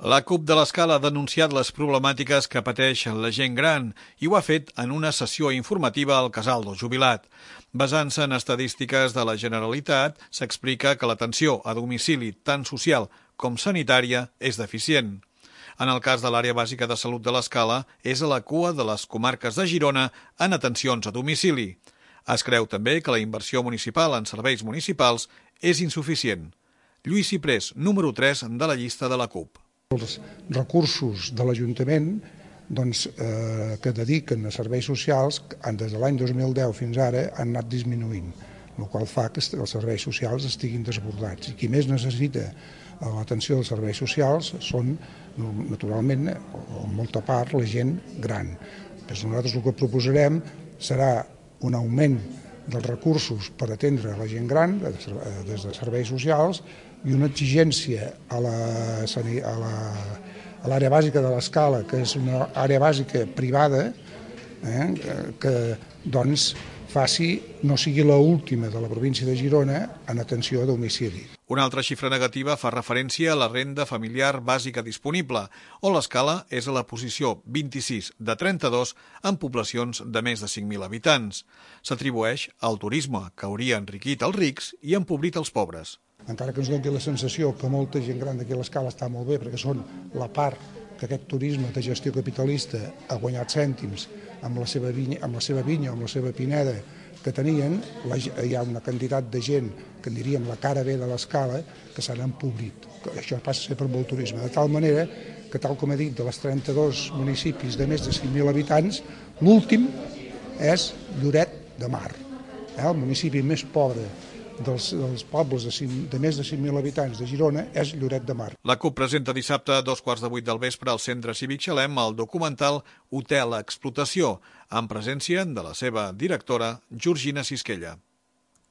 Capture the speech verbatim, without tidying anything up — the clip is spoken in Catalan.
La CUP de l'Escala ha denunciat les problemàtiques que pateix la gent gran i ho ha fet en una sessió informativa al Casal del Jubilat. Basant-se en estadístiques de la Generalitat, s'explica que l'atenció a domicili tant social com sanitària és deficient. En el cas de l'àrea bàsica de salut de l'Escala, és a la cua de les comarques de Girona en atencions a domicili. Es creu també que la inversió municipal en serveis municipals és insuficient. Lluís Ciprés, número tres de la llista de la CUP. Els recursos de l'Ajuntament doncs, eh, que dediquen a serveis socials des de l'any dos mil deu fins ara han anat disminuint, el qual fa que els serveis socials estiguin desbordats. I qui més necessita l'atenció dels serveis socials són, naturalment, en molta part, la gent gran. Doncs nosaltres el que proposarem serà un augment dels recursos per atendre la gent gran des de serveis socials i una exigència a l'àrea bàsica de l'Escala, que és una àrea bàsica privada, eh, que doncs faci, no sigui l'última de la província de Girona en atenció a domicili. Una altra xifra negativa fa referència a la renda familiar bàsica disponible, on l'Escala és a la posició vint-i-sis de trenta-dos en poblacions de més de cinc mil habitants. S'atribueix al turisme, que hauria enriquit els rics i empobrit els pobres. Encara que ens doni la sensació que molta gent gran d'aquí a l'Escala està molt bé, perquè són la part que aquest turisme de gestió capitalista ha guanyat cèntims amb la seva vinya, amb la seva vinya, amb la seva pineda que tenien, la, hi ha una quantitat de gent que en diríem la cara B de l'Escala que s'han empobrit. Això passa a ser per molt turisme, de tal manera que, tal com he dit, de les trenta-dos municipis de més de cinc mil habitants, l'últim és Lloret de Mar, eh? El municipi més pobre dels, dels pobles de, cinc, de més de cinc mil habitants de Girona és Lloret de Mar. La CUP presenta dissabte a dos quarts de vuit del vespre al Centre Cívic Xalem el documental Hotel Explotació, en presència de la seva directora Georgina Sisquella.